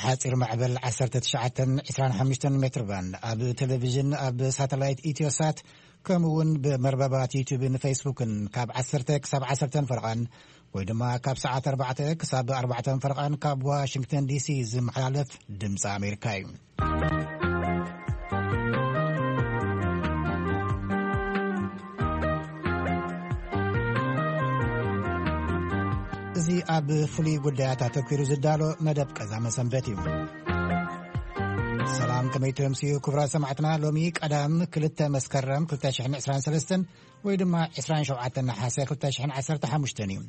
ሓጺር ማዕበል ዓሰርተ ትሽዓተ ዕስራን ሓሙሽተን ሜትር ባንድ፣ ኣብ ቴሌቪዥን፣ ኣብ ሳተላይት ኢትዮሳት፣ ከምኡ እውን ብመርበባት ዩቲዩብን ፌስቡክን ካብ ዓሰርተ ክሳብ ዓሰርተ ፈርቓን ወይ ድማ ካብ ሰዓት ኣርባዕተ ክሳብ ኣርባዕተ ፈርቓን ካብ ዋሽንግተን ዲሲ ዝመሓላለፍ ድምፂ ኣሜሪካ እዩ። እዚ ኣብ ፍሉይ ጉዳያት ኣተኲሩ ዝዳሎ መደብ ቀዛመ ሰንበት እዩ። ሰላም፣ ከመይ ትምስዩ ክቡራት ሰማዕትና? ሎሚ ቀዳም ክልተ መስከረም ክልተ ሽሕን ዕስራን ሰለስተን ወይ ድማ ዕስራን ሸውዓተን ነሓሰ ክልተ ሽሕን ዓሰርተ ሓሙሽተን እዩ።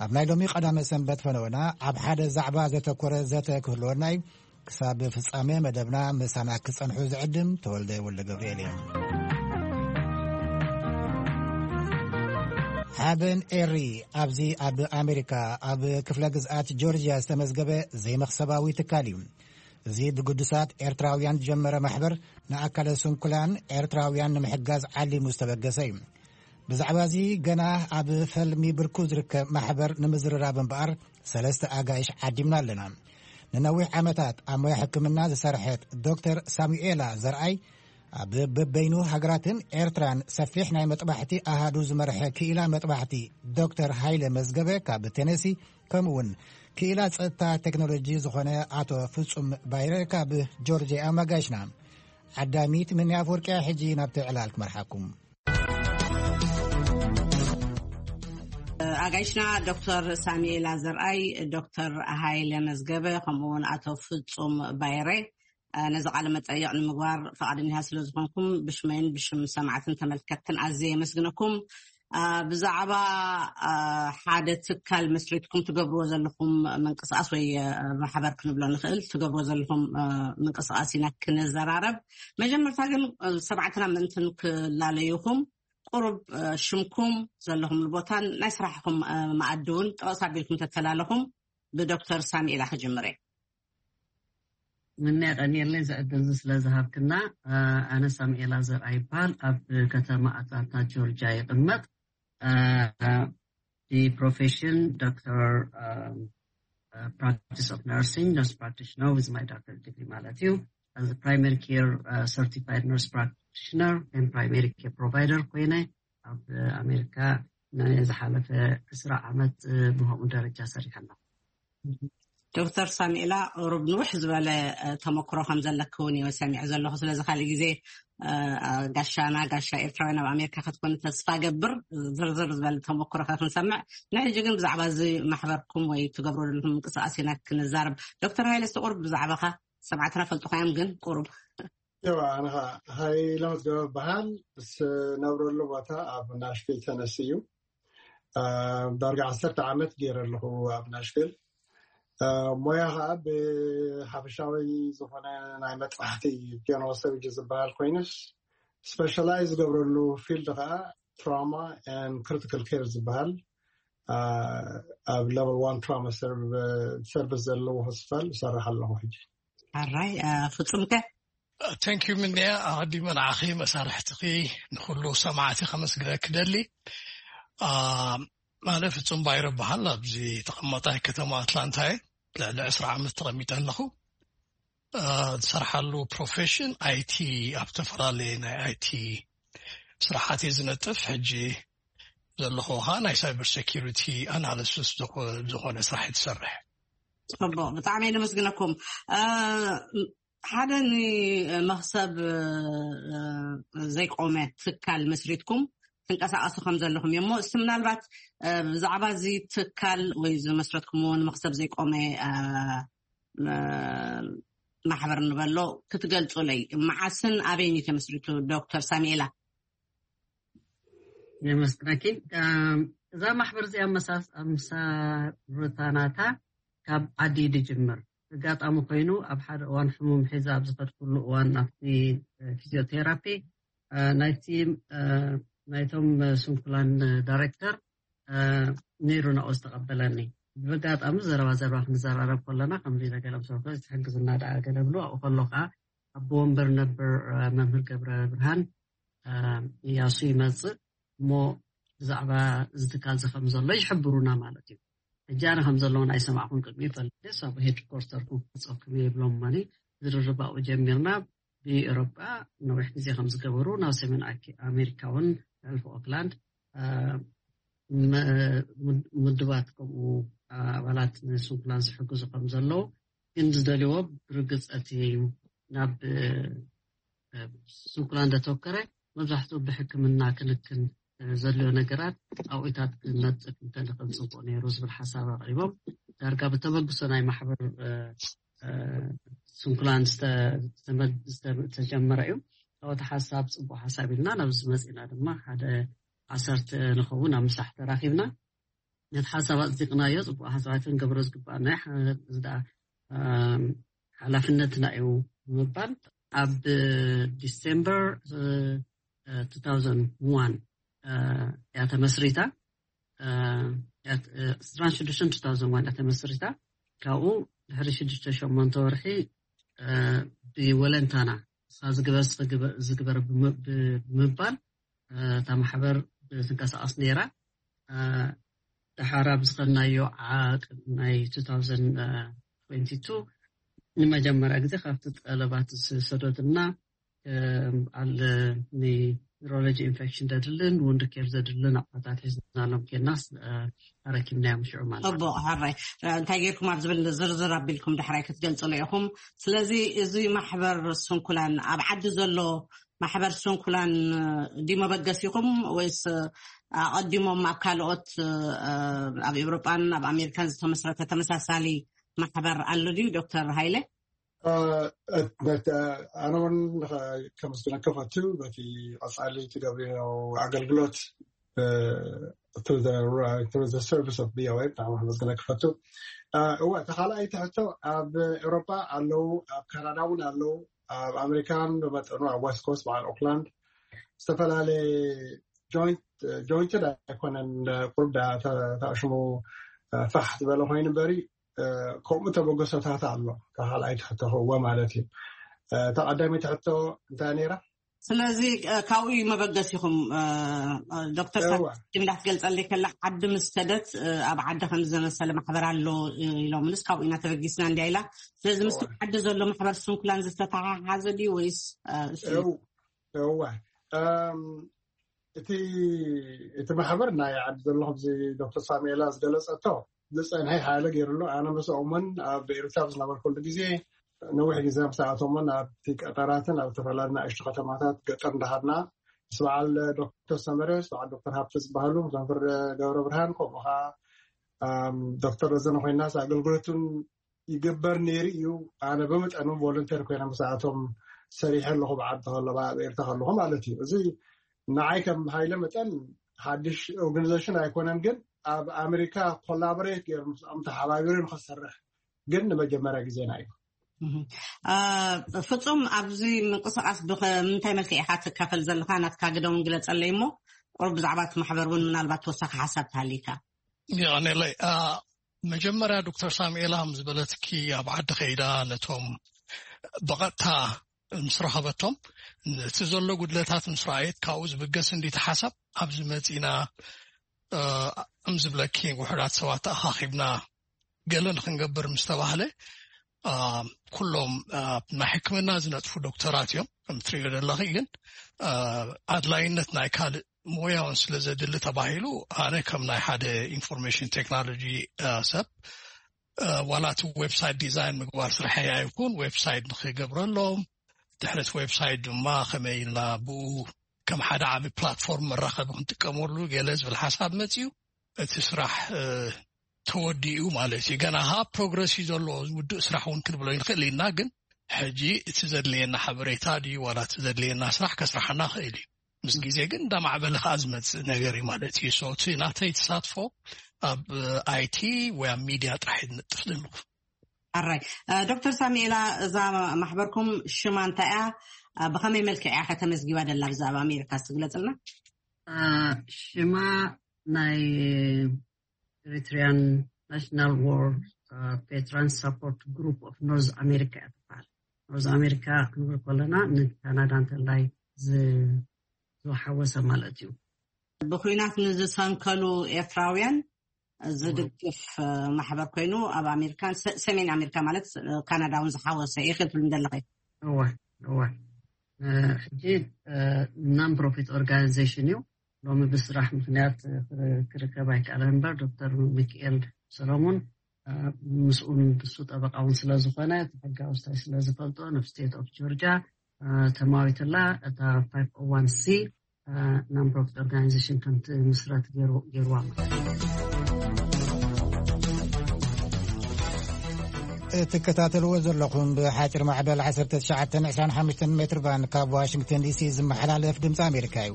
ኣብ ናይ ሎሚ ቀዳመ ሰንበት ፈነወና ኣብ ሓደ ዛዕባ ዘተኮረ ዘተ ክህልወና እዩ። ክሳብ ፍጻሜ መደብና ምሳና ክጸንሑ ዝዕድም ተወልደ ወልደ ገብርኤል እዮም። ሓበን ኤሪ ኣብዚ ኣብ ኣሜሪካ ኣብ ክፍለ ግዝኣት ጆርጅያ ዝተመዝገበ ዘይመኽሰባዊ ትካል እዩ። እዚ ብግዱሳት ኤርትራውያን ዝጀመረ ማሕበር ንኣካለ ስንኩላን ኤርትራውያን ንምሕጋዝ ዓሊሙ ዝተበገሰ እዩ። ብዛዕባ እዚ ገና ኣብ ፈልሚ ብርኩ ዝርከብ ማሕበር ንምዝርራብ እምበኣር ሰለስተ ኣጋይሽ ዓዲምና ኣለና። ንነዊሕ ዓመታት ኣብ ሞያ ሕክምና ዝሰርሐት ዶክተር ሳሙኤላ ዘርኣይ ኣብ በበይኑ ሃገራትን ኤርትራን ሰፊሕ ናይ መጥባሕቲ ኣሃዱ ዝመርሐ ክኢላ መጥባሕቲ ዶክተር ሃይለ መዝገበ ካብ ቴነሲ፣ ከምኡ እውን ክኢላ ጸጥታ ቴክኖሎጂ ዝኾነ ኣቶ ፍጹም ባይረ ካብ ጆርጅያ ኣማጋሽና። ዓዳሚት ምንያ ኣፍወርቅያ ሕጂ ናብቲ ዕላል ክመርሓኩም። ኣጋይሽና ዶክተር ሳሙኤላ ዘርኣይ፣ ዶክተር ሃይለ መዝገበ፣ ከምኡ እውን ኣቶ ፍጹም ባይረ፣ ነዚ ቃለ መጠይቕ ንምግባር ፈቓደኛታት ስለ ዝኾንኩም ብሽመይን ብሽም ሰማዕትን ተመልከትን ኣዝየ የመስግነኩም። ብዛዕባ ሓደ ትካል መስሪትኩም ትገብርዎ ዘለኹም ምንቅስቃስ ወይ ማሕበር ክንብሎ ንኽእል ትገብርዎ ዘለኹም ምንቅስቃስ ኢና ክንዘራረብ። መጀመርታ ግን ሰማዕትና ምእንትን ክላለዩኹም ቁሩብ ሽምኩም ዘለኹምሉ ቦታን ናይ ስራሕኹም መኣዲ እውን ጠቐስ ኣቢልኩም ተተላለኹም ብዶክተር ሳሙኤላ ክጅምር እየ። ምንያ ቀኒየለይ ዝዕድል እዚ ስለ ዝሃብክና። ኣነ ሳሙኤላ ዘርኣ ይበሃል። ኣብ ከተማ ኣትላንታ ጆርጅያ ይቕመጥ። ብፕሮፌሽን ዶክተር፣ practice of nursing nurse practitioner with my doctorate degree ማለት እዩ። As primary care certified nurse practitioner and primary care provider ኮይነ ኣብ ኣሜሪካ ንዝሓለፈ ዕስራ ዓመት ብኸምኡ ደረጃ ሰሪሐ ኣለኹ። ዶክተር ሳሙኤላ፣ ቁሩብ ንውሕ ዝበለ ተመክሮ ከም ዘለኪ እውን እየ ሰሚዐ ዘለኹ። ስለዚ ካልእ ግዜ ጋሻና፣ ጋሻ ኤርትራውያን ኣብ ኣሜሪካ ክትኮኒ ተስፋ ገብር። ዝርዝር ዝበለ ተመክሮ ከ ክንሰምዕ፣ ንሕጂ ግን ብዛዕባ እዚ ማሕበርኩም ወይ ትገብሩ ዘለኹም ምንቅስቃስ ኢና ክንዛረብ። ዶክተር ሃይለ፣ እስቲ ቁሩብ ብዛዕባኻ፣ ሰማዕትና ፈልጡኻ እዮም ግን ቁሩብ። እዋ፣ ኣነ ኸዓ ሃይለ መዝገበ እበሃል። ዝነብረሉ ቦታ ኣብ ናሽቪል ተነሲ እዩ። ዳርጋ ዓሰርተ ዓመት ገይረ ኣለኹ ኣብ ናሽቪል። ሞያ ኸዓ ብሓፈሻዊ ዝኾነ ናይ መጥባሕቲ ጀነራል ሰርጅሪ ዝበሃል ኮይኑስ፣ ስፔሻላይዝ ዝገብረሉ ፊልድ ኸዓ ትራማ ን ክሪቲካል ኬር ዝበሃል ኣብ ሌቨል ዋን ትራማ ሰርቪስ ዘለዎ ሆስፒታል ይሰርሕ ኣለኹ ሕጂ። ኣራይ፣ ፍጹምከ? Thank you ምንያ። ኣቐዲመ ንዓኺ፣ መሳርሕትኺ፣ ንኹሉ ሰማዕቲ ከመስግነኪ ደሊ። ኣነ ፍጹም ባይረ በሃል፣ ኣብዚ ተቐመጣይ ከተማ ኣትላንታ እየ። ልዕሊ ዕስራ ዓመት ተቐሚጠ ኣለኹ። ዝሰርሓሉ ፕሮፌሽን ኣይቲ፣ ኣብ ዝተፈላለየ ናይ ኣይቲ ስራሓት እየ ዝነጥፍ። ሕጂ ዘለኹ ኸዓ ናይ ሳይበር ሴኪሪቲ ኣናሊሲስ ዝኾነ ስራሕ እየ ዝሰርሕ። ጽቡቕ፣ ብጣዕሚ እየ ነመስግነኩም። ሓደ ንመኽሰብ ዘይቆመ ትካል መስሪትኩም ትንቀሳቐሱ ከም ዘለኹም እዮም። እሞ እስቲ ምናልባት ብዛዕባ እዚ ትካል ወይ ዝመስረትኩምዎ ንመኽሰብ ዘይቆመ ማሕበር ንበሎ ክትገልጹለይ፣ መዓስን ኣበይን እዩ ተመስሪቱ? ዶክተር ሳሙኤላ። የመስግነኪ። እዛ ማሕበር እዚኣ መሳርታናታ ካብ ዓዲ ድጅምር። ኣጋጣሚ ኮይኑ ኣብ ሓደ እዋን ሕሙም ሒዛ ኣብ ዝኸድኩሉ እዋን ኣብቲ ፊዚዮቴራፒ ናይቲ ናይቶም ስንኩላን ዳይሬክተር ነይሩ ናብኡ ዝተቐበለኒ። ብኣጋጣሚ ዘረባ ዘረባ ክንዘራረብ ከለና ከምዚ ነገለም ሰው ትሕግዝና ደኣ ገለ ብሎ ኣብኡ ከሎ ከዓ ኣቦ ወንበር ነበር መምህር ገብረ ብርሃን እያሱ ይመፅእ እሞ ብዛዕባ እዚ ትካል እዚ ከም ዘሎ ይሕብሩና ማለት እዩ። ሕጂ ኣነ ከም ዘለውን ኣይሰማዕኹን ቅድሚ ይፈልጥ ሳብ ሄድኮርተርኩም ክመፀኩም እየ ይብሎም ማኒ ዝርርባኡ ጀሚርና። ብኤውሮጳ ነዊሕ ግዜ ከም ዝገበሩ ናብ ሰሜን ኣሜሪካ እውን ሕልፊ ኦክላንድ ምድባት ከምኡ ኣባላት ንስንኩላን ዝሕግዙ ከም ዘለዉ ግን ዝደልዎ ብርግፅ እቲ ናብ ስንኩላን ዘተወከረ መብዛሕትኡ ብሕክምና ክንክን ዘድልዮ ነገራት ኣብኡታት ክነጥፍ እንተንኽእል ፅቡቅ ነይሩ ዝብል ሓሳብ ኣቅሪቦም ዳርጋ ብተበግሶ ናይ ማሕበር ስንኩላን ዝተጀመረ እዩ። ካብቲ ሓሳብ ፅቡቅ ሓሳብ ኢልና ናብዚ መፂና ድማ ሓደ ዓሰርተ ንኸውን ኣብ ምሳሕ ተራኪብና ነቲ ሓሳብ ኣፅዲቅናዮ። ፅቡቅ ሓሳባት ክንገብሮ ዝግባኣና እዚ ደኣ ሓላፍነትና እዩ ብምባል ኣብ ዲሴምበር two thousand one እያ ተመስሪታ። ዕስራን ሽዱሽተን two thousand one እያ ተመስሪታ። ካብኡ ድሕሪ ሽዱሽተ ሸሞንተ ወርሒ ብወለንታና ንስኻ ዝግበር ዝግበር ብምባል እታ ማሕበር ትንቀሳቐስ ነይራ። ደሓር ኣብ ዝኸድናዮ ዓቕን ናይ two thousand twenty two ንመጀመርያ ግዜ ካብቲ ጠለባት ዝሰደዱልና ኣለ ኒውሮሎጂ ኢንፌክሽን ዘድልን ውንድ ኬር ዘድልን ኣቑሑታት ሒዝናሎም ኬድናስ ኣረኪብናዮም ሽዑ ማለት እዩ። ሕራይ እንታይ ጌርኩም ኣብ ዝብል ዝርዝር ኣቢልኩም ዳሕራይ ክትገልጽሉ ኢኹም። ስለዚ እዚ ማሕበር ስንኩላን ኣብ ዓዲ ዘሎ ማሕበር ስንኩላን ድዩ መበገሲኹም ወይስ ኣቐዲሞም ኣብ ካልኦት ኣብ ኤውሮጳን ኣብ ኣሜሪካን ዝተመስረተ ተመሳሳሊ ማሕበር ኣሎ ድዩ ዶክተር ሃይለ? ኣነ እውን ከመስግነካ ፈቱ በቲ ቀፃሊ ትገብርዮ ኣገልግሎት to the service of ቪኦኤ ብጣዕሚ ከመስግነካ ፈቱ። እወ ተካልኣይ ትሕቶ ኣብ ኤውሮጳ ኣለዉ፣ ኣብ ካናዳ እውን ኣለዉ፣ ኣብ ኣሜሪካን ብመጠኑ ኣብ ዌስት ኮስት በዓል ኦክላንድ ዝተፈላለየ ጆይንትድ ኣይኮነን ቁርብ ተኣሽሙ ፋሕ ዝበለ ኮይኑ በሪ ከምኡ ተበገሶታት ኣሎ። ካልኣይ ትሕቶ ክእዎ ማለት እዩ። ተቐዳሚ ትሕቶ እንታይ ነይራ? ስለዚ ካብኡ እዩ መበገሲኹም ዶክተር ሳሚ እንዳትገልጸለይ ከላ ዓዲ ምስ ከደት ኣብ ዓዲ ከም ዝመሰለ ማሕበር ኣሎ ኢሎምንስ ካብኡ ኢና ተበጊስና እንዲያ ኢላ። ስለዚ ምስ ዓዲ ዘሎ ማሕበር ስንኩላን ዝተተሓሓዘ ድዩ ወይስ እዋ እቲ እቲ ማሕበር ናይ ዓዲ ዘሎ ከምዚ ዶክተር ሳሙኤላ ዝገለጸቶ ዝፀንሐ ሓያለ ገይሩሎ። ኣነ ምስኦምን ኣብ ኤርትራ ዝነበርኩሉ ግዜ ነዊሕ ግዜ ምስኣቶምን ኣብቲ ቀጠራትን ኣብ ዝተፈላለዩ ንኣሽቱ ከተማታት ገጠር እንዳሃድና ምስ በዓል ዶክተር ሰመረ ምስ በዓል ዶክተር ሃብተ ዝበሃሉ ምስ መምህር ገብረ ብርሃን ከምኡ ከዓ ዶክተር ረዘነ ኮይና ኣገልግሎቱን ይግበር ነይሩ እዩ። ኣነ ብመጠኑ ቮለንተር ኮይነ ምስኣቶም ሰሪሐ ኣለኹ ብዓዲ ከለኹ ኣብ ኤርትራ ከለኹ ማለት እዩ። እዚ ንዓይ ከም ሃይለ መጠን ሓድሽ ኦርጋኒዜሽን ኣይኮነን፣ ግን ኣብ ኣሜሪካ ኮላቦሬት ገይሩ ምስኦም ተሓባቢሩ ንክሰርሕ ግን ንመጀመርያ ግዜና እዩ። ፍጹም ኣብዚ ምንቅስቃስ ብምንታይ መልክዕ ኢካ ትካፈል ዘለካ ናትካ ግደ እውን ግለጸለይ እሞ ቁሩብ ብዛዕባ እቲ ማሕበር እውን ምናልባት ተወሳኺ ሓሳብ ተሃሊካ። የቀኔለይ መጀመርያ ዶክተር ሳሙኤላ ከም ዝበለትኪ ኣብ ዓዲ ከይዳ ነቶም ብቐጥታ ምስ ረኸበቶም እቲ ዘሎ ጉድለታት ምስ ረኣየት ካብኡ ዝብገስ እንዲቲ ሓሳብ ኣብዚ መፂና ከም ዝብለኪ ውሕዳት ሰባት ተኣኻኺብና ገለ ንክንገብር ምስ ተባህለ ኩሎም ናይ ሕክምና ዝነጥፉ ዶክተራት እዮም ከም ትሪኦ ዘለኺ ግን ኣድላይነት ናይ ካልእ ሞያውን ስለ ዘድሊ ተባሂሉ ኣነ ከም ናይ ሓደ ኢንፎርሜሽን ቴክኖሎጂ ሰብ ዋላ እቲ ዌብሳይት ዲዛይን ምግባር ስርሐይ ኣይኩን ዌብሳይት ንክገብረሎም ድሕሪ እቲ ዌብሳይት ድማ ከመይ ኢልና ብኡ ከም ሓደ ዓቢ ፕላትፎርም መራኸቢ ክንጥቀመሉ ገለ ዝብል ሓሳብ መፅዩ እቲ ስራሕ ተወዲኡ ማለት እዩ። ገና ካ ፕሮግረስ እዩ ዘሎ ውዱእ ስራሕ እውን ክንብሎ ይንክእል ኢና። ግን ሕጂ እቲ ዘድልየና ሓበሬታ ድዩ ዋላ እቲ ዘድልየና ስራሕ ከስርሓና ክእል እዩ። ምስ ግዜ ግን እንዳማዕበለ ከዓ ዝመፅእ ነገር እዩ ማለት እዩ። So እቲ ናተይ ተሳትፎ ኣብ ኣይቲ ወይ ኣብ ሚድያ ጥራሕ እዩ ዝነጥፍ ዘለኹ። ኣራይ ዶክተር ሳሙኤላ እዛ ማሕበርኩም ሽማ እንታይ እያ? ብኸመይ መልክዕ እያ ከተመዝጊባ ደላ ብዛዕባ ኣሜሪካ ዝትግለፅልና? ሽማ ናይ Eritrean National War Veterans Support Group of North America እያ ትበሃል። ኖርዝ ኣሜሪካ ክንብል ከለና ንካናዳ እንተላይ ዝሓወሰ ማለት እዩ። ብኩናት ንዝሰንከሉ ኤርትራውያን ዝድግፍ ማሕበር ኮይኑ ኣብ ኣሜሪካን ሰሜን ኣሜሪካ ማለት ካናዳ እውን ዝሓወሰ እዩ ክትብል እንደለኸ? እወ እወ። ሕጂ non profit organization እዩ። ሎሚ ብስራሕ ምክንያት ክርከብ ኣይከኣለን እምበር ዶክተር ሚክኤል ሰሎሞን ምስኡን ብሱ ጠበቃ እውን ስለዝኾነ ሕጋዊ ስታይ ስለዝፈልጦ ናብ state of Georgia ተማዊትላ እታ five oh one c non profit organization ከምቲ ምስረት ገይርዋ ማለት እዩ። እትከታተልዎ ዘለኹም ብሓፂር ማዕበል ዓሰርተ ትሽዓተ ዕስራን ሓሙሽተን ሜትር ባንድ ካብ ዋሽንግተን ዲሲ ዝመሓላለፍ ድምፂ ኣሜሪካ እዩ።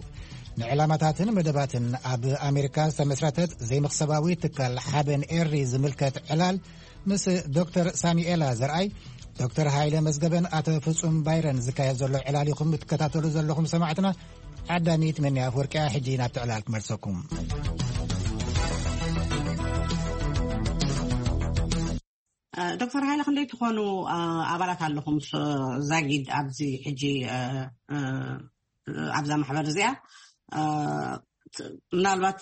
ንዕላማታትን መደባትን ኣብ ኣሜሪካ ዝተመስረተት ዘይመኽሰባዊ ትካል ሓበን ኤሪ ዝምልከት ዕላል ምስ ዶክተር ሳሚኤላ ዘርኣይ፣ ዶክተር ሃይለ መዝገበን ኣቶ ፍጹም ባይረን ዝካየድ ዘሎ ዕላል ኢኹም እትከታተሉ ዘለኹም ሰማዕትና። ዓዳሚት መኒ ኣፍወርቂያ ሕጂ ናብቲ ዕላል ክመልሰኩም። ዶክተር ሃይለ ክንደይ ትኾኑ ኣባላት ኣለኹም ዛጊድ ኣብዚ ሕጂ ኣብዛ ማሕበር እዚኣ? ምናልባት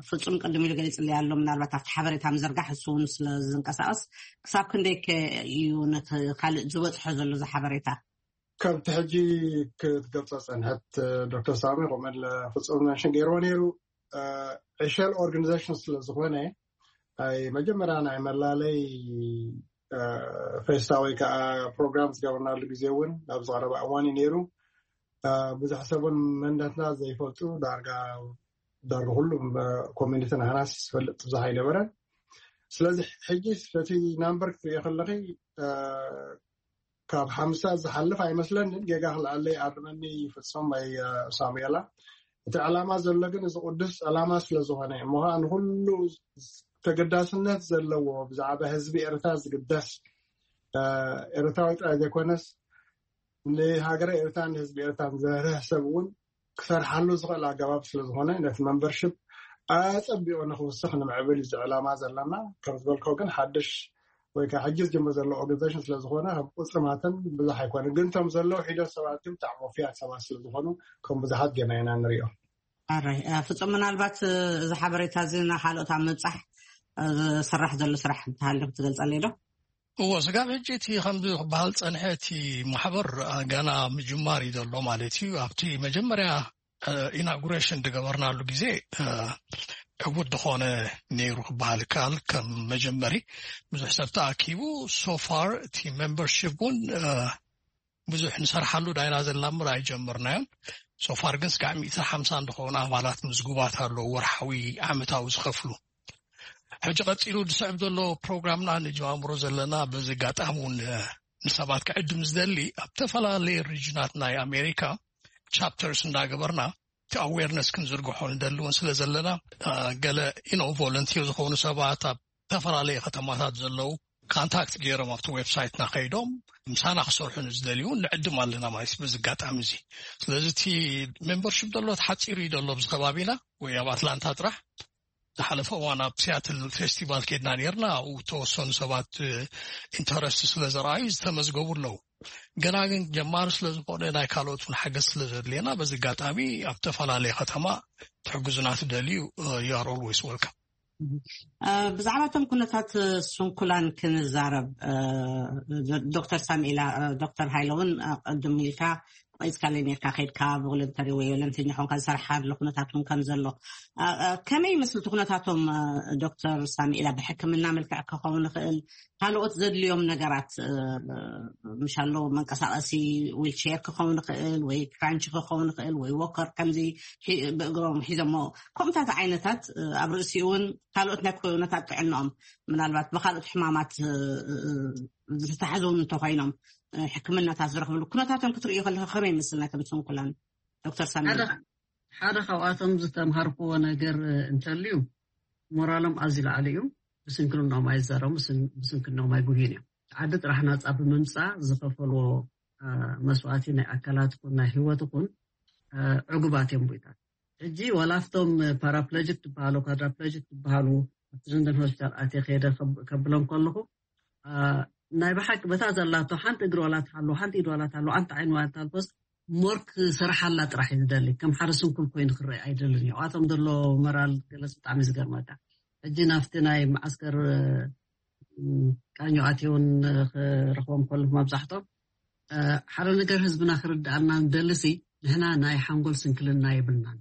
ፍጹም ቅድም ኢሉ ገሊጽለይ ኣሎ ምናልባት ኣብቲ ሓበሬታ ምዝርጋሕ እሱ እውን ስለ ዝንቀሳቀስ ክሳብ ክንደይ ከ እዩ ነቲ ካልእ ዝበጽሖ ዘሎ እዚ ሓበሬታ? ከምቲ ሕጂ ክትገልጾ ጸንሐት ዶክተር ሳሚ ከምኡለ ፍጹም መንሽን ገይርዎ ነይሩ። ዕሸል ኦርጋኒዜሽን ስለ ዝኾነ ናይ መጀመርያ ናይ መላለይ ፌስታ ወይ ከዓ ፕሮግራም ዝገበርናሉ ግዜ እውን ናብ ዝቀረበ እዋን እዩ ነይሩ። ብዙሕ ሰብን መንነትና ዘይፈልጡ ዳርጋ ዳርጋ ኩሉ ኮሚኒቲ ናህናስ ዝፈልጥ ብዙሕ ኣይነበረን። ስለዚ ሕጂ እቲ ናምበር ክትሪኦ ከለኺ ካብ ሓምሳ ዝሓልፍ ኣይመስለንን። ጌጋ ክልዓለይ ኣርመኒ ይፍፅም ወይ ሳሙኤላ። እቲ ዕላማ ዘሎ ግን እዚ ቅዱስ ዕላማ ስለዝኾነ ምዃን ንኩሉ ተገዳስነት ዘለዎ ብዛዕባ ህዝቢ ኤርትራ ዝግደስ ኤርትራዊ ጥራይ ዘይኮነስ ንሃገረ ኤርትራን ንህዝቢ ኤርትራን ዝርህርህ ሰብ እውን ክሰርሓሉ ዝኽእል ኣገባብ ስለዝኾነ ነቲ መንበርሽፕ ኣጸቢቑ ንክውስኽ ንምዕብል እዩ ዕላማ ዘለና። ከም ዝበልኮ ግን ሓድሽ ወይ ከዓ ሕጂ ዝጅምር ዘሎ ኦርጋኒዜሽን ስለዝኾነ ከም ቁፅሪ ማተን ብዙሕ ኣይኮነ ግን እቶም ዘለዉ ሒደት ሰባት ግን ብጣዕሚ ወፍያት ሰባት ስለዝኾኑ ከም ብዙሓት ጌና ኢና ንሪኦ። ኣራይ ፍጹም ምናልባት እዚ ሓበሬታ እዚ ንካልኦት ኣብ ምብጻሕ ዝስራሕ ዘሎ ስራሕ እንተሃልዩ ክትገልጸለይ ዶ? እዎ ስጋብ ሕጂ እቲ ከምዚ ክበሃል ፀንሐ እቲ ማሕበር ገና ምጅማር እዩ ዘሎ ማለት እዩ። ኣብቲ መጀመርያ ኢናጉሬሽን ዝገበርናሉ ግዜ ዕቡድ ዝኾነ ነይሩ ክበሃል ይከኣል። ከም መጀመሪ ብዙሕ ሰብ ተኣኪቡ ሶፋር እቲ ሜምበርሽፕ እውን ብዙሕ ንሰርሓሉ ዳይና ዘለና ምር ኣይጀመርናዮን። ሶፋር ግን ስጋዕ ሚእቲ ሓምሳ እንደኾኑ ኣባላት ምዝጉባት ኣለዉ ወርሓዊ ዓመታዊ ዝኸፍሉ። ሕጂ ቀፂሉ ዝስዕብ ዘሎ ፕሮግራምና ንጀማምሮ ዘለና በዚ ኣጋጣሚ እውን ንሰባት ክዕድም ዝደሊ ኣብ ዝተፈላለየ ሪጅናት ናይ ኣሜሪካ ቻፕተርስ እንዳገበርና እቲ ኣዌርነስ ክንዝርግሖ ንደሊ እውን ስለ ዘለና ገለ ኢኖ ቮለንቲር ዝኾኑ ሰባት ኣብ ዝተፈላለየ ከተማታት ዘለዉ ካንታክት ገይሮም ኣብቲ ዌብሳይትና ከይዶም ምሳና ክሰርሑ ንዝደልዩ ንዕድም ኣለና ማለት በዚ ኣጋጣሚ እዚ። ስለዚ እቲ ሜምበርሽፕ ዘሎ ተሓፂሩ እዩ ዘሎ ኣብዚ ከባቢና ወይ ኣብ ኣትላንታ ጥራሕ። ዝሓለፈ እዋን ኣብ ሲያትል ፌስቲቫል ከድና ነርና ኣብኡ ተወሰኑ ሰባት ኢንተረስት ስለ ዘረኣዩ ዝተመዝገቡ ኣለዉ። ገና ግን ጀማሪ ስለ ዝኾነ ናይ ካልኦት እውን ሓገዝ ስለ ዘድልየና በዚ ኣጋጣሚ ኣብ ዝተፈላለየ ከተማ ትሕግዙና ትደልዩ you are always welcome። ብዛዕባ እቶም ኩነታት ስንኩላን ክንዛረብ ዶክተር ሳሚኤላ ዶክተር ሃይለ እውን ቅድም ኢልካ ቆይፅካለይ ነርካ ከድካ ቮለንተሪ ወይ ቨለንቲር ኾንካ ዝሰርሓሉ ኩነታት እውን ከም ዘሎ ከመይ ይመስል እቲ ኩነታቶም? ዶክተር ሳሚኤላ ብሕክምና መልክዕ ክኸውን ይኽእል ካልኦት ዘድልዮም ነገራት ምሻሎ መንቀሳቀሲ ዊልቸር ክኸውን ይኽእል ወይ ክራንች ክኸውን ይኽእል ወይ ወከር ከምዚ ብእግሮም ሒዞሞ ከምታት ዓይነታት ኣብ ርእሲ እውን ካልኦት ናይ ኩነታት ጥዕናኦም ምናልባት ብካልኦት ሕማማት ዝተታሕዙ እውን እንተኮይኖም ሕክምናታት ዝረኽብሉ ኩነታቶም ክትርእዩ ከለካ ከመይ ይመስል ናይቶም ስንኩላን? ዶክተር ሳሚ ሓደ ካብኣቶም ዝተምሃርክዎ ነገር እንተልዩ ሞራሎም ኣዝዩ ላዕሊ እዩ። ብስንክልናኦም ኣይዛረቡ ብስንክልናኦም ኣይጉህዩን እዮም። ዓዲ ጥራሕ ናፃ ብምምፃእ ዝኸፈልዎ መስዋእቲ ናይ ኣካላት ኩን ናይ ህይወት ኩን ዕጉባት እዮም። ቦይታት ሕጂ ዋላ ኣብቶም ፓራፕለጅክ ትበሃሉ ኳድራፕለጅክ ትበሃሉ ኣብቲ ሊንደን ሆስፒታል ኣትየ ከይደ ከብሎም ከለኹ ናይ ብሓቂ በታ ዘላቶ ሓንቲ እግሪ ዋላ ትሃሉ ሓንቲ ኢድ ዋላ ትሃሉ ሓንቲ ዓይኒ ዋላ ትሃልኮስ ሞር ክሰርሓላ ጥራሕ እዩ ዝደሊ። ከም ሓደ ስንኩል ኮይኑ ክረአ ኣይደልን እዩ። ኣብኣቶም ዘሎ መራል ገለጽ ብጣዕሚ ዝገርመካ። ሕጂ ናብቲ ናይ መዓስከር ቃኞ ኣትየውን ክረኽቦም ከለኹ፣ መብዛሕቶም ሓደ ነገር ህዝብና ክርድኣልና ንደልሲ፣ ንሕና ናይ ሓንጎል ስንክልና የብልናን፣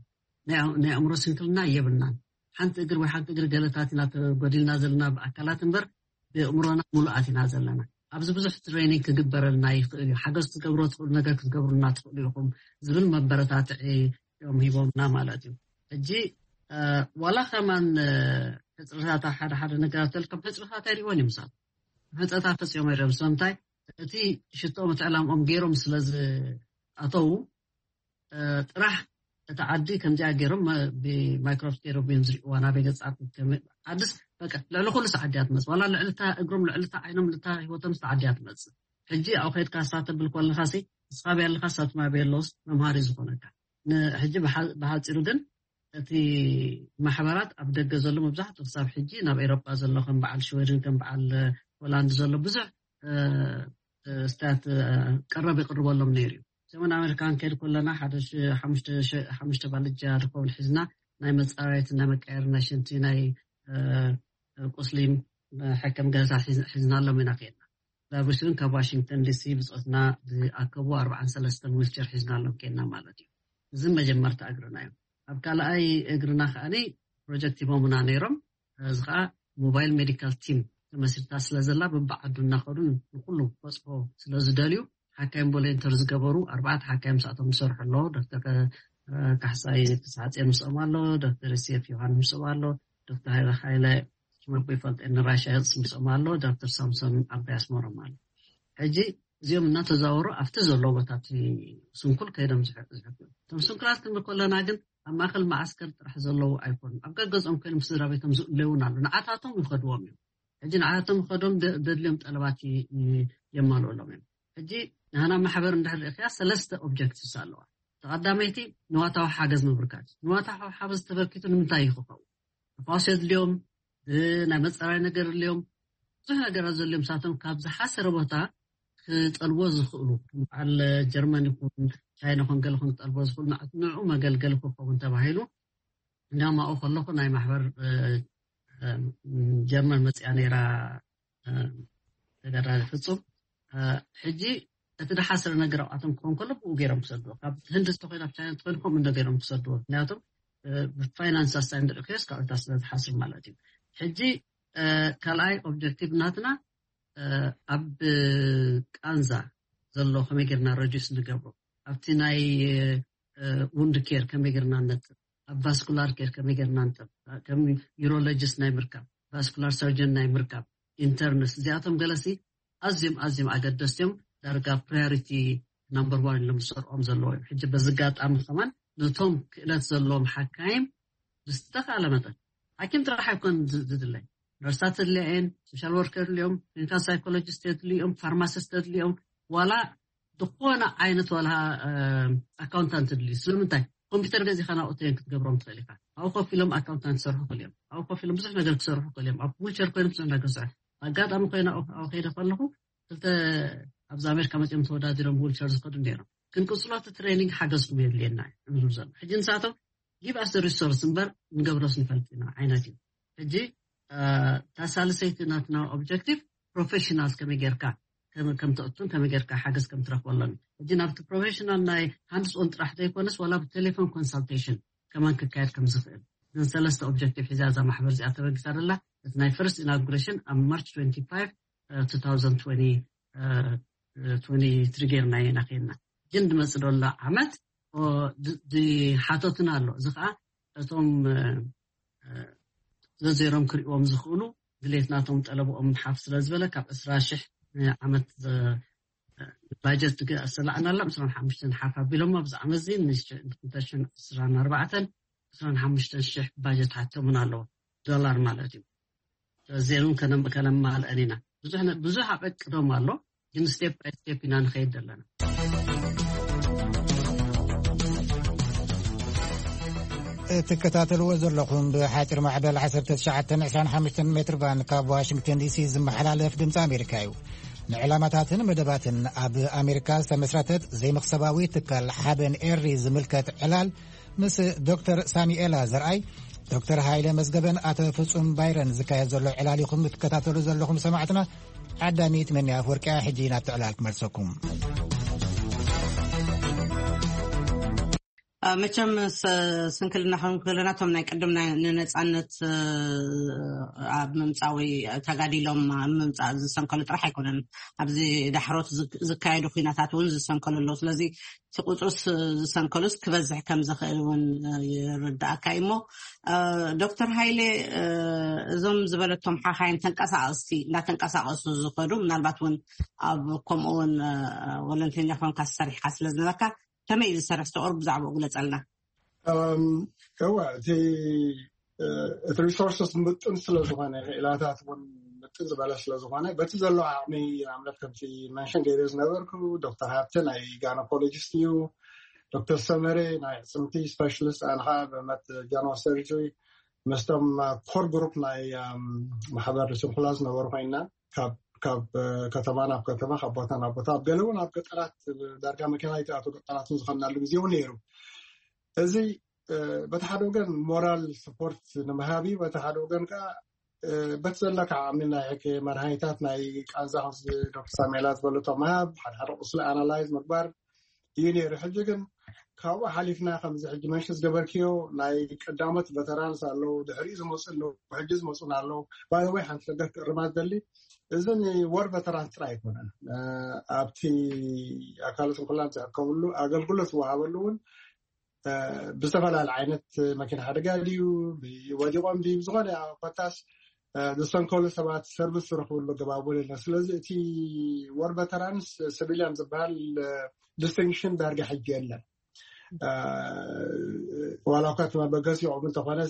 ናይ ኣእምሮ ስንክልና የብልናን። ሓንቲ እግር ወይ ሓንቲ እግሪ ገለታት ኢና ተጎዲልና ዘለና ብኣካላት እምበር፣ ብእምሮና ሙሉኣት ኢና ዘለና። ኣብዚ ብዙሕ ትሬኒንግ ክግበረልና ይኽእል እዩ። ሓገዝ ክትገብሮ ትኽእሉ ነገር ክትገብሩልና ትኽእሉ ኢኹም ዝብል መበረታትዒ እዮም ሂቦምና ማለት እዩ። ሕጂ ዋላ ከማን ሕፅርታት ሓደ ሓደ ነገራት ተልከም ሕፅርታት ኣይሪእዎን እዮም። ሕፀታ ፈፂኦም ኣይረብሶ እንታይ እቲ ሽቶ ምትዕላምኦም ገይሮም ስለ ዝኣተዉ ጥራሕ እቲ ዓዲ ከምዚኣ ገይሮም ብማይክሮስኮፕ እዮም ዝሪእዋ ናበይ ገፃ ዓድስ በቃ ልዕሊ ኩሉ ሰዓት እያ ትመፅእ። ዋላ ልዕልታ እግሮም ልዕልታ ዓይኖም ልታ ህይወቶም ሰዓት እያ ትመፅእ። ሕጂ ኣብ ከድካ ሳተብል ኮለካ ሲ እስኻ ብያ ኣለካ ሳትማ በየለውስ መምሃሪ ዝኾነካ። ሕጂ ብሓፂሩ ግን እቲ ማሕበራት ኣብ ደገ ዘሎ መብዛሕትኡ ክሳብ ሕጂ ናብ ኤሮጳ ዘሎ ከም በዓል ሽወድን ከም በዓል ሆላንድ ዘሎ ብዙሕ ስታት ቀረብ ይቅርበሎም ነይሩ እዩ። ሰሜን ኣሜሪካ ክንከይድ ከለና ሓደ ሓሙሽተ ባልጃ ድኸውን ሒዝና ናይ መፃረየትን ናይ መቃየር ናይ ሽንቲ ናይ ቁስሊን ሕክም ገዛ ሒዝናሎም ኢና ከይድና። ዛጉስን ካብ ዋሽንግተን ዲሲ ብፆትና ዝኣከቡ ኣርባዓን ሰለስተን ዊልቸር ሒዝናሎም ከይድና ማለት እዩ። እዚ መጀመርታ እግርና እዩ። ኣብ ካልኣይ እግርና ከዓኒ ፕሮጀክት ሂቦምና ነይሮም። እዚ ከዓ ሞባይል ሜዲካል ቲም ተመስሪታ ስለ ዘላ በብዓዱ እናኸዱ ንኩሉ ክበፅሖ ስለ ዝደልዩ ሓካይም ቮለንተር ዝገበሩ ኣርባዕተ ሓካይም ምስኣቶም ዝሰርሑ ኣለዉ። ዶክተር ካሕሳይ ክሳሓፅዮን ምስኦም ኣሎ፣ ዶክተር ዮሴፍ ዮሃንስ ምስኦም ኣሎ፣ ዶክተር ሃይለ ሃይለ ሽመቦ ይፈልጥ ንራሻ የፅስ ምስኦም ኣሎ፣ ዶክተር ሳምሶን ዓባይ ኣስመሮም ኣሎ። ሕጂ እዚኦም እናተዛወሩ ኣብቲ ዘሎ ቦታ ስንኩል ከይዶም ዝሕግዩ። እቶም ስንኩላት ክንብል ከለና ግን ኣብ ማእከል መዓስከር ጥራሕ ዘለዉ ኣይኮኑን። ኣብ ገገዝኦም ኮይኖም ስድራ ቤቶም ዝእለዩን ኣሎ። ንዓታቶም ይኸድዎም እዮም። ሕጂ ንዓታቶም ይኸዶም ደድልዮም ጠለባት የማልኡሎም እዮም። ሕጂ ንሃና ማሕበር እንድሕር ርእኽያ ሰለስተ ኦብጀክቲቭስ ኣለዋ። ተቐዳመይቲ ንዋታዊ ሓገዝ ምብርካት። ንዋታዊ ሓገዝ ተበርኪቱ ንምንታይ እዩ ክኸውን? ተፋወስ የድልዮም፣ ናይ መፀራይ ነገር ድልዮም፣ ብዙሕ ነገራት ዘድልዮም ሳቶም ካብ ዝሓሰረ ቦታ ክጠልቦ ዝኽእሉ በዓል ጀርመን ይኹን ቻይና ኹን ገለ ኹን ክጠልቦ ዝኽእሉ ንዕኡ መገልገሊ ክኸውን ተባሂሉ እንዳማኡ ከለኹ ናይ ማሕበር ጀርመን መፅያ ነይራ ተጋዳሊ ፍፁም። ሕጂ እቲ ዝሓስረ ነገር ኣብኣቶም ክኸውን ከሎ ብኡ ገይሮም ክሰድዎ፣ ካብ ህንዲ ዝተኮይኑ ኣብ ቻይና ተኮይኑ ከምኡ እንደ ገይሮም ክሰድዎ። ምክንያቱም ብፋይናንስ ኣሳይ ንርኢ ክስ ካብ እታ ስለ ዝሓስር ማለት እዩ። ሕጂ ካልኣይ ኦብጀክቲቭ ናትና ኣብ ቃንዛ ዘሎ ከመይ ጌርና ረዲስ ንገብሮ፣ ኣብቲ ናይ ውንድ ኬር ከመይ ጌርና ነጥብ፣ ኣብ ቫስኩላር ኬር ከመይ ጌርና ነጥብ፣ ከም ዩሮሎጂስት ናይ ምርካብ፣ ቫስኩላር ሰርጀን ናይ ምርካብ፣ ኢንተርንስ እዚኣቶም ገለሲ ኣዝዮም ኣዝዮም ኣገደስቲ እዮም። ዳርጋ ፕራዮሪቲ ናምበር ዋን ኢሎም ዝሰርዖም ዘለዎ እዮም። ሕጂ በዚ ኣጋጣሚ ከማን ነቶም ክእለት ዘለዎም ሓካይም ብዝተኻለ መጠን ሓኪም ጥራሕ ኣይኮን ዝድለይ፣ ነርሳት ተድልያ እየን፣ ሶሻል ወርከር ድልዮም፣ ክሊኒካል ሳይኮሎጂስት ተድልዮም፣ ፋርማሲስት ተድልዮም፣ ዋላ ዝኾነ ዓይነት ዋላ ኣካውንታንት ድልዩ። ስለምንታይ ኮምፒውተር ገዚኻ ናብኡ ተየን ክትገብሮም ትኽእል ኢኻ። ኣብኡ ኮፍ ኢሎም ኣካውንታንት ክሰርሑ ክእል እዮም። ኣብኡ ኮፍ ኢሎም ብዙሕ ነገር ክሰርሑ ክእል እዮም። ኣብ ዊልቸር ኮይኖም ብዙሕ ነገር ክሰርሑ ኣጋጣሚ ኮይና ኣብኡ ከይደ ከለኹ ክልተ ኣብዚ ኣሜሪካ መፅኦም ተወዳዲሮም ዊልቸር ዝኸዱ ነይሮም። ክንቅፅሎ እቲ ትሬኒንግ ሓገዝኩም የድልየና እዩ ንብሉ ዘሎ። ሕጂ ንሳቶም ጊቭ ኣስ ሪሶርስ እምበር ንገብሮስ ንፈልጥ ኢና ዓይነት እዩ። ሕጂ እታ ሳልሰይቲ ናትና ኦብጀክቲቭ ፕሮፌሽናልስ ከመይ ጌርካ ከም ተእቱን ከመይ ጌርካ ሓገዝ ከም ትረክበሎም እዩ። ሕጂ ናብቲ ፕሮፌሽናል ናይ ሃንድስ ኦን ጥራሕ ዘይኮነስ ዋላ ብቴሌፎን ኮንሳልቴሽን ከማን ክካየድ ከም ዝኽእል ግን ሰለስተ ኦብጀክቲቭ ሒዛ እዛ ማሕበር እዚኣ ተበጊሳ ደላ። እቲ ናይ ፈርስት ኢናጉሬሽን ኣብ ማርች ትወንቲ ፋይቭ ቱ ታውዘንድ ትወንቲ ትሪ ጌርና ኢና ከይድና። ግን ድመፅእ ደሎ ዓመት ዝሓተቱና ኣሎ። እዚ ከዓ እቶም ዘዘይሮም ክርእዎም ዝኽእሉ ድሌት ናቶም ጠለብኦም ሓፍ ስለ ዝበለ ካብ ዕስራ ሽሕ ዓመት ባጀት ዝሰላዕና ኣላ ዕስራን ሓሙሽተን ሓፍ ኣቢሎም ኣብዚ ዓመት እዚ ንክልተ ሽሕን ዕስራን ኣርባዕተን ዕስራን ሓሙሽተን ሽሕ ባጀት ሓቶምን ኣለዎ፣ ዶላር ማለት እዩ። ስለዚ እውን ከነማልአን ኢና። ብዙሕ ኣበቅዶም ኣሎ፣ ግን ስቴፕ ባይ ስቴፕ ኢና ንኸይድ ዘለና። እትከታተልዎ ዘለኹም ብሓፂር ማዕበል ዓሰርተ ትሽዓተ ዕስራን ሓሙሽተን ሜትር ባንድ ካብ ዋሽንግተን ዲሲ ዝመሓላለፍ ድምፂ ኣሜሪካ እዩ። ንዕላማታትን መደባትን ኣብ ኣሜሪካ ዝተመስረተት ዘይመኽሰባዊ ትካል ሓበን ኤሪ ዝምልከት ዕላል ምስ ዶክተር ሳሚኤላ ዘርኣይ፣ ዶክተር ሃይለ መዝገበን ኣቶ ፍጹም ባይረን ዝካየድ ዘሎ ዕላል ኢኹም ትከታተሉ ዘለኹም ሰማዕትና። ዓዳሚት መኒ ኣፍወርቅያ ሕጂ ናብቲ ዕላል ክመልሰኩም። መቸም ስንክልና ከም ክለናቶም ናይ ቅድም ንነፃነት ኣብ ምምፃእ ወይ ተጋዲሎም ኣብ ምምፃእ ዝሰንከሉ ጥራሕ ኣይኮነን። ኣብዚ ዳሕሮት ዝካየዱ ኩናታት እውን ዝሰንከሉ ኣለዉ። ስለዚ እቲ ቁፅርስ ዝሰንከሉስ ክበዝሕ ከም ዝኽእል እውን ይርዳእካ እዩ። እሞ ዶክተር ሃይሌ፣ እዞም ዝበለቶም ሓኻይን ተንቀሳቀስቲ እንዳተንቀሳቀሱ ዝኸዱ፣ ምናልባት እውን ኣብ ከምኡ እውን ወለንተኛ ኮንካ ዝሰርሕካ ስለ ዝነበርካ፣ ከመይ እዩ ዝሰርሕ? ተቆርብ ብዛዕባኡ ግለፀልና። እወ፣ እቲ እቲ ሪሶርስስ ምጥን ስለዝኾነ፣ ክእላታት እውን ምጥን ዝበለ ስለዝኾነ፣ በቲ ዘሎ ዓቕሚ፣ ንኣብነት ከምቲ መንሽን ገይረ ዝነበርኩ፣ ዶክተር ሃብተ ናይ ጋይኖኮሎጂስት እዩ። ዶክተር ሰመረ ናይ ኣዕፅምቲ ስፔሻሊስት፣ ኣነ ከዓ ብመት ጀነራል ሰርጀሪ። ምስቶም ኮር ግሩፕ ናይ ማሕበር ስንኩላ ዝነበሩ ኮይና፣ ካብ ከተማ ናብ ከተማ፣ ካብ ቦታ ናብ ቦታ፣ ኣብ ገለ እውን ኣብ ገጠራት፣ ዳርጋ መኪና ይትኣቱ ገጠራትን ዝኸናሉ ግዜ እውን ነይሩ። እዚ በቲ ሓደ ወገን ሞራል ስፖርት ንምሃብ እዩ፣ በቲ ሓደ ወገን ከዓ በቲ ዘለካ ዓቕሚ ናይ ሕቂ መድሃኒታት፣ ናይ ቃንዛ ከምዚ ዶክተር ሳሜላ ዝበለቶ ምሃብ፣ ሓደ ሓደ ቁስሊ ኣናላይዝ ምግባር እዩ ነይሩ። ሕጂ ግን ካብኡ ሓሊፍና ከምዚ ሕጂ መንሽን ዝገበርክዮ ናይ ቀዳሞት ቨተራንስ ኣለዉ፣ ድሕሪኡ ዝመፁ ኣለዉ፣ ሕጂ ዝመፁን ኣለዉ። ባይወይ ሓንቲ ነገር ክእርማ ዝደሊ፣ እዚ ንወር ቨተራንስ ጥራይ ኣይኮነን። ኣብቲ ኣካለ ስንኩላን ዝሕከምሉ ኣገልግሎት ዝወሃበሉ እውን ብዝተፈላለየ ዓይነት መኪና ሓደጋ ድዩ፣ ወዲቖም ድዩ፣ ዝኾነ ኮታስ ዝሰንከሉ ሰባት ሰርቪስ ዝረኽብሉ ኣገባብ እውን የለን። ስለዚ እቲ ወር ቨተራንስ ሲቪሊያን ዝበሃል ዲስቲንክሽን ዳርጋ ሕጂ የለን። ዋላ እኳ እቲ መበገሲኦም እንተኾነ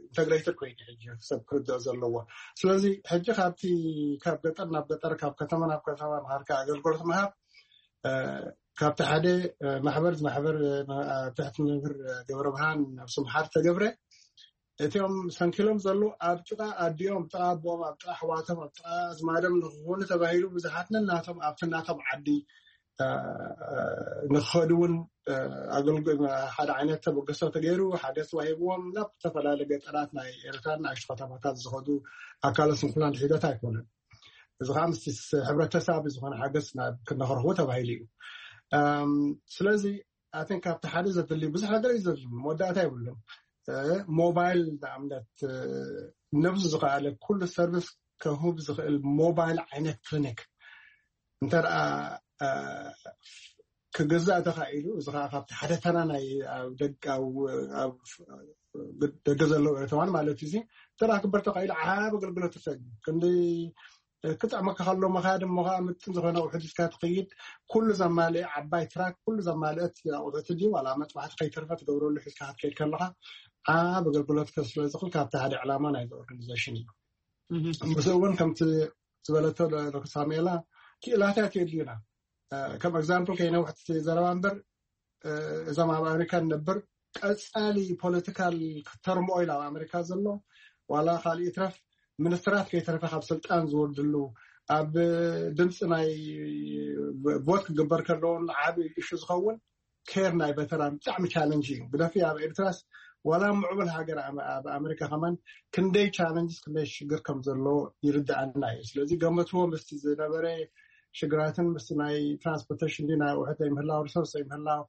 ኢንተግሬትድ ኮይኑ ሕጂ ሰብ ክርድኦ ዘለዎ። ስለዚ ሕጂ ካብቲ ካብ ገጠር ናብ ገጠር፣ ካብ ከተማ ናብ ከተማ ምሃርካ ኣገልግሎት ምሃብ ካብቲ ሓደ ማሕበር ማሕበር ትሕቲ መምህር ገብረ ብርሃን ነብሱ ምሓር ተገብረ፣ እቲኦም ሰንኪሎም ዘለዉ ኣብ ጥቓ ኣዲኦም፣ ኣብ ጥቓ ኣቦኦም፣ ኣብ ጥቓ ኣሕዋቶም፣ ኣብ ጥቓ ኣዝማዶም ንክኾኑ ተባሂሉ ብዙሓት ነናቶም ኣብቲ ናቶም ዓዲ ንክኸዱ እውን ኣገልግሎት ሓደ ዓይነት ተበገሶ ተገይሩ፣ ሓደ ስዋ ሂብዎም ናብ ዝተፈላለዩ ገጠራት ናይ ኤርትራ ንኣሽቱ ከተማታት ዝኸዱ ኣካለ ስንኩላን ሒደት ኣይኮነን። እዚ ከዓ ምስቲ ሕብረተሰብ ዝኾነ ሓገዝ ናብ ክነኽረኽቡ ተባሂሉ እዩ። ስለዚ ኣትን ካብቲ ሓደ ዘድሊ ብዙሕ ነገር እዩ ዘድሊ፣ መወዳእታ የብሉም። ሞባይል ንኣብነት ነብሱ ዝኸኣለ ኩሉ ሰርቪስ ከህብ ዝኽእል ሞባይል ዓይነት ክሊኒክ እንተ ክግዛእ ተኻኢሉ፣ እዚ ከዓ ካብቲ ሓደ ተራ ናይ ደገ ዘለዉ ኤርትራውያን ማለት እዩ። እዚ ተራ ክበር ተኻኢሉ ዓብ ኣገልግሎት ትሰግ ክንዲ ክጥዕመካ ከሎ መኻድ እሞ ከዓ ምጥን ዝኾነ ኣቑሑ ሒዝካ ትኸይድ። ኩሉ ዘማልአ ዓባይ ትራክ፣ ኩሉ ዘማልአት ኣቑሑት ድዩ ዋላ መጥባሕቲ ከይተርፈ ትገብረሉ ሒዝካ ክትከይድ ከለኻ ዓብ ኣገልግሎት ከስለ ዝኽእል ካብቲ ሓደ ዕላማ ናይዚ ኦርጋኒዜሽን እዩ። ምስኡ እውን ከምቲ ዝበለቶ ዶክተር ሳሙኤላ ክእላታት የድልዩና። ከም ኤግዛምፕል ከይነውሕቲ ዘረባ እምበር እዞም ኣብ ኣሜሪካ ንነብር ቀፃሊ ፖለቲካል ተርሞይል ኣብ ኣሜሪካ ዘሎ ዋላ ካልእ ይትረፍ ሚኒስትራት ከይተረፈ ካብ ስልጣን ዝወርድሉ ኣብ ድምፂ ናይ ቮት ክግበር ከለውን ዓብ ኢሹ ዝኸውን ኬር ናይ ቨተራን ብጣዕሚ ቻለንጅ እዩ። ግደፊ ኣብ ኤርትራስ ዋላ ምዕቡል ሃገር ኣብ ኣሜሪካ ከማን ክንደይ ቻለንጅስ ክንደይ ሽግር ከም ዘሎ ይርድኣና እዩ። ስለዚ ገመትዎ ምስቲ ዝነበረ ሽግራትን ምስቲ ናይ ትራንስፖርቴሽን ናይ ኣቑሑት ዘይምህላው ሪሶርስ ዘይምህላው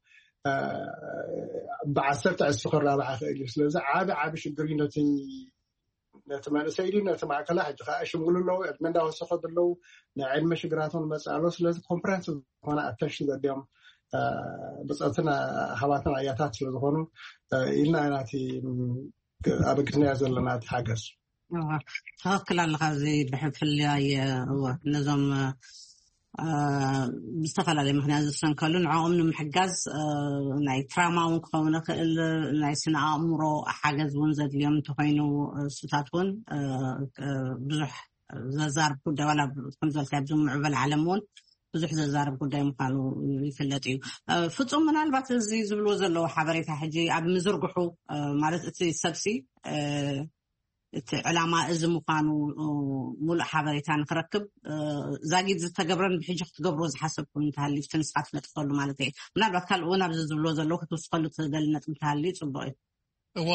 ብዓሰርተ ዕስቲ ክራባሕ ይኽእል እዩ። ስለዚ ዓቢ ዓቢ ሽግር እዩ ነቲ ነቲ መንእሰይ ድዩ ነቲ ማእከላ ሕጂ ከዓ ሽምግሉ ኣለዉ ዕድመ እንዳወሰኸ ዘለዉ ናይ ዕድመ ሽግራቶም መፅእ ኣሎ። ስለዚ ኮምፕረንስ ዝኾነ ኣተንሽን ዘድዮም ብፀትን ሃባትን ኣያታት ስለዝኾኑ ኢልና ኢና እቲ ኣበጊስናዮ ዘለና እቲ ሓገዝ። ትኽክል ኣለኻ። እዚ ብፍላይ እወ ነዞም ብዝተፈላለየ ምክንያት ዝሰንከሉ ንዕኦም ንምሕጋዝ ናይ ትራማ እውን ክኸውን ይኽእል፣ ናይ ስነ ኣእምሮ ሓገዝ እውን ዘድልዮም እንተኮይኑ እሱታት እውን ብዙሕ ዘዛርብ ጉዳይ ዋላ ከም ዝበልካ ኣብዚ ምዕበል ዓለም እውን ብዙሕ ዘዛርብ ጉዳይ ምዃኑ ይፍለጥ እዩ። ፍጹም ምናልባት እዚ ዝብልዎ ዘለዉ ሓበሬታ ሕጂ ኣብ ምዝርግሑ ማለት እቲ ሰብሲ እቲ ዕላማ እዚ ምዃኑ ሙሉእ ሓበሬታ ንክረክብ፣ ዛጊድ ዝተገብረን ብሕጂ ክትገብሮ ዝሓሰብኩም እንተሃልዩ እቲ ንስኻ ትነጥፈሉ ማለት እየ። ምናልባት ካልእ እውን ኣብዚ ዝብሎ ዘለዉ ክትውስኸሉ ትደሊ ነጥቢ እንተሃልዩ ጽቡቕ እዩ። እዋ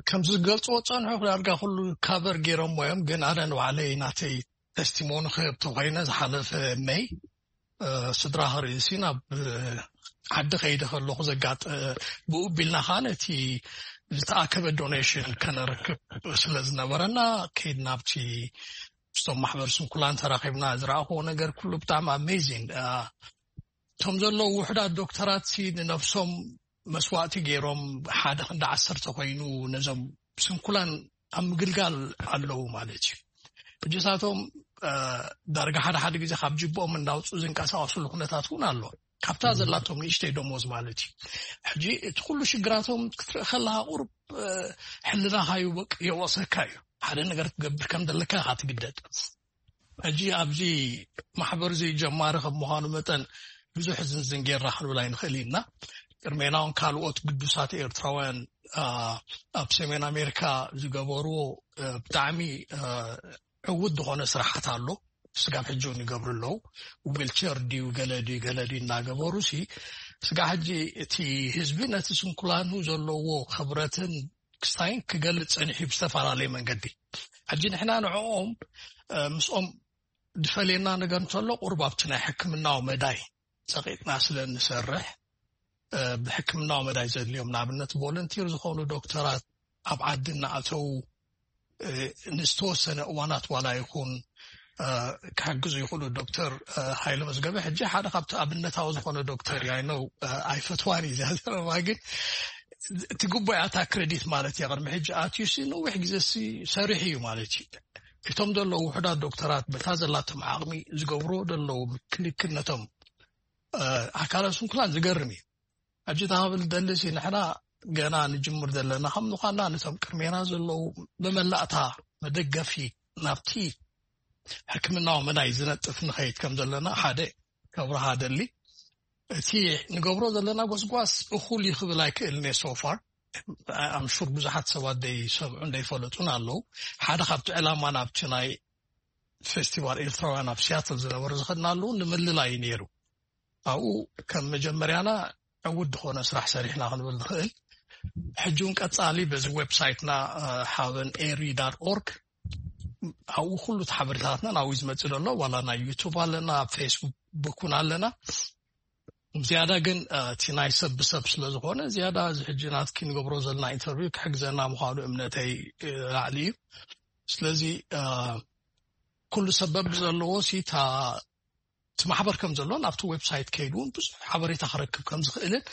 ከምዚ ዝገልፅዎ ፀንሑ ዳርጋ ኩሉ ካቨር ገይሮሞ እዮም። ግን ኣነ ንባዕለይ ናተይ ተስቲሞኒ ክህብ ተኮይነ ዝሓለፈ መይ ስድራ ክርእሲ ናብ ዓዲ ከይደ ከለኩ ዘጋጥ ብኡ ቢልና ከዓ ነቲ ዝተኣከበ ዶኔሽን ከነረክብ ስለ ዝነበረና ከይድ ናብቲ ምስቶም ማሕበር ስንኩላን ተራኪብና ዝረኣክዎ ነገር ኩሉ ብጣዕሚ ኣሜዚን። እቶም ዘለዉ ውሕዳት ዶክተራት ሲ ንነብሶም መስዋእቲ ገይሮም ሓደ ክንዲ ዓሰርተ ኮይኑ ነዞም ስንኩላን ኣብ ምግልጋል ኣለዉ ማለት እዩ። ሕጂ ሳቶም ዳርጋ ሓደ ሓደ ግዜ ካብ ጅብኦም እንዳውፅኡ ዝንቀሳቀስሉ ኩነታት እውን ኣሎ። ካብታ ዘላቶም ንእሽተይ ደሞዝ ማለት እዩ። ሕጂ እቲ ኩሉ ሽግራቶም ክትርኢ ከለካ ቁርብ ሕልናካ ይወቅ የወቅሰካ እዩ። ሓደ ነገር ክትገብር ከም ዘለካ ኢካ ትግደድ። ሕጂ ኣብዚ ማሕበር እዚ ጀማሪ ከም ምዃኑ መጠን ብዙሕ ዝንዝን ጌርና ክንብል ኣይንኽእል ኢና። ቅድሜና እውን ካልኦት ግዱሳት ኤርትራውያን ኣብ ሰሜን ኣሜሪካ ዝገበርዎ ብጣዕሚ ዕውት ዝኾነ ስራሓት ኣሎ። ስጋብ ሕጂ እውን ይገብሩ ኣለዉ። ዊልቸር ድዩ ገለ ድዩ ገለ ድዩ እናገበሩ ሲ ስጋ ሕጂ እቲ ህዝቢ ነቲ ስንኩላኑ ዘለዎ ክብረትን ክስታይን ክገልጽ ጸኒሑ ብዝተፈላለየ መንገዲ። ሕጂ ንሕና ንዕኦም ምስኦም ዝፈልየና ነገር እንተሎ ቁሩብ ኣብቲ ናይ ሕክምናዊ መዳይ ጸቂጥና ስለ እንሰርሕ ብሕክምናዊ መዳይ ዘድልዮም ንኣብነት ቮለንቲር ዝኾኑ ዶክተራት ኣብ ዓዲ እናኣተዉ ንዝተወሰነ እዋናት ዋላ ይኹን ክሕግዙ ይኽእሉ። ዶክተር ሃይለ መዝገበ ሕጂ ሓደ ካብቲ ኣብነታዊ ዝኾነ ዶክተር እያ ነው ኣይፈትዋን እዩ እዚኣ ዘረባ ግን እቲ ግቡእ ኣታ ክሬዲት ማለት እያ። ቅድሚ ሕጂ ኣትዩሲ ነዊሕ ግዜ ሲ ሰሪሑ እዩ ማለት እዩ። እቶም ዘለዉ ውሕዳት ዶክተራት በታ ዘላቶም ዓቕሚ ዝገብርዎ ዘለዉ ምክልክነቶም ኣካላት ስንኩላን ዝገርም እዩ። ሕጂ ታብል ደልሲ ንሕና ገና ንጅምር ዘለና ከም ምዃንና ነቶም ቅድሜና ዘለዉ ብመላእታ መደገፊ ናብቲ ሕክምናዊ መዳይ ዝነጥፍ ንኸይድ ከም ዘለና ሓደ ከብርሃ ደሊ። እቲ ንገብሮ ዘለና ጎስጓስ እኹል ይኽብል ኣይክእልን እየ ሶፋር ኣምሹር ብዙሓት ሰባት ደይሰምዑ እንደይፈለጡን ኣለዉ። ሓደ ካብቲ ዕላማ ናብቲ ናይ ፌስቲቫል ኤርትራውያን ኣብ ሲያትል ዝነበረ ዝኸድናሉ ንምልላይ እዩ ነይሩ። ኣብኡ ከም መጀመርያና ዕውት ዝኾነ ስራሕ ሰሪሕና ክንብል ንኽእል። ሕጂ እውን ቀጻሊ በዚ ዌብሳይትና ሓበን ኤሪ ዳት ኦርግ ኣብኡ ኩሉ እቲ ሓበሬታትና ናብኡ ዝመፅእ ዘሎ ዋላ ናይ ዩቱብ ኣለና ኣብ ፌስቡክ እውን ኣለና። ዝያዳ ግን እቲ ናይ ሰብ ብሰብ ስለ ዝኾነ ዝያዳ እዚ ሕጂ ናትኪ ንገብሮ ዘለና ኢንተርቪው ክሕግዘና ምዃኑ እምነተይ ላዕሊ እዩ። ስለዚ ኩሉ ሰበብ ዘለዎ ሲ እቲ ማሕበር ከም ዘሎ ናብቲ ዌብሳይት ከይዱ እውን ብዙሕ ሓበሬታ ክረክብ ከም ዝኽእልን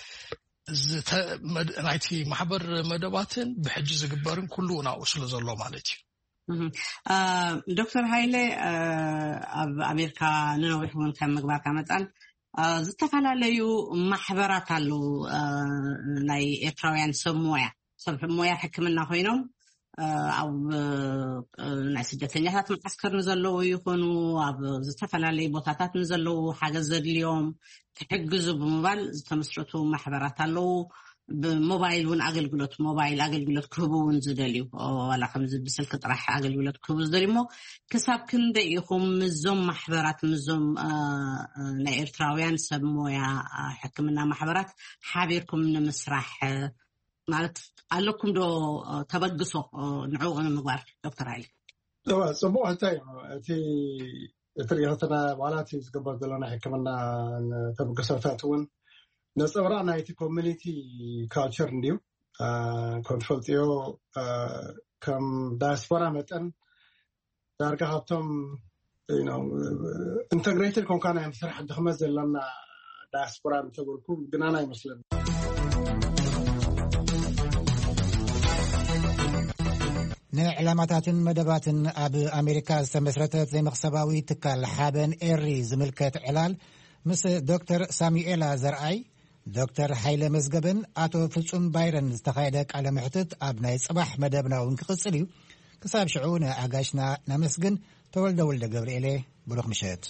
ናይቲ ማሕበር መደባትን ብሕጂ ዝግበርን ኩሉ እውን ኣብኡ ስለ ዘሎ ማለት እዩ። ዶክተር ሃይለ ኣብ ኣሜሪካ ንነዊሕ እውን ከም ምግባርካ መፃን ዝተፈላለዩ ማሕበራት ኣለዉ። ናይ ኤርትራውያን ሰብ ሞያ ሰብ ሞያ ሕክምና ኮይኖም ኣብ ናይ ስደተኛታት መዓስከር ንዘለዉ ይኾኑ ኣብ ዝተፈላለዩ ቦታታት ንዘለዉ ሓገዝ ዘድልዮም ክሕግዙ ብምባል ዝተመስረቱ ማሕበራት ኣለዉ። ብሞባይል እውን ኣገልግሎት ሞባይል ኣገልግሎት ክህቡ እውን ዝደልዩ ዋላ ከምዚ ብስልኪ ጥራሕ ኣገልግሎት ክህቡ ዝደልዩ እሞ ክሳብ ክንደይ ኢኹም ምዞም ማሕበራት ምዞም ናይ ኤርትራውያን ሰብ ሞያ ሕክምና ማሕበራት ሓቢርኩም ንምስራሕ ማለት ኣለኩም ዶ ተበግሶ ንዕኡ ንምግባር? ዶክተር ሃይለ እዋ ፅቡቅ ሕቶ እዩ። እቲ እቲ ሪኢክትና ዋላ እቲ ዝግበር ዘሎ ናይ ሕክምና ተበግሶታት እውን ነፀብራቅ ናይቲ ኮሚኒቲ ካልቸር እንድዩ። ከም ትፈልጥዮ ከም ዳያስፖራ መጠን ዳርጋ ካብቶም ኢንተግሬትድ ኮንካ ናይ ምስራሕ ድክመት ዘለና ዳያስፖራ እንተበልኩ ግናና ይመስለኒ። ንዕላማታትን መደባትን ኣብ ኣሜሪካ ዝተመስረተት ዘይመኽሰባዊ ትካል ሓበን ኤሪ ዝምልከት ዕላል ምስ ዶክተር ሳሙኤላ ዘርኣይ፣ ዶክተር ሓይለ መዝገብን ኣቶ ፍጹም ባይረን ዝተኻየደ ቃለ ምሕትት ኣብ ናይ ጽባሕ መደብና እውን ክቕጽል እዩ። ክሳብ ሽዑ ንኣጋሽና ነመስግን። ተወልደ ወልደ ገብርኤሌ፣ ብሩኽ ምሸት።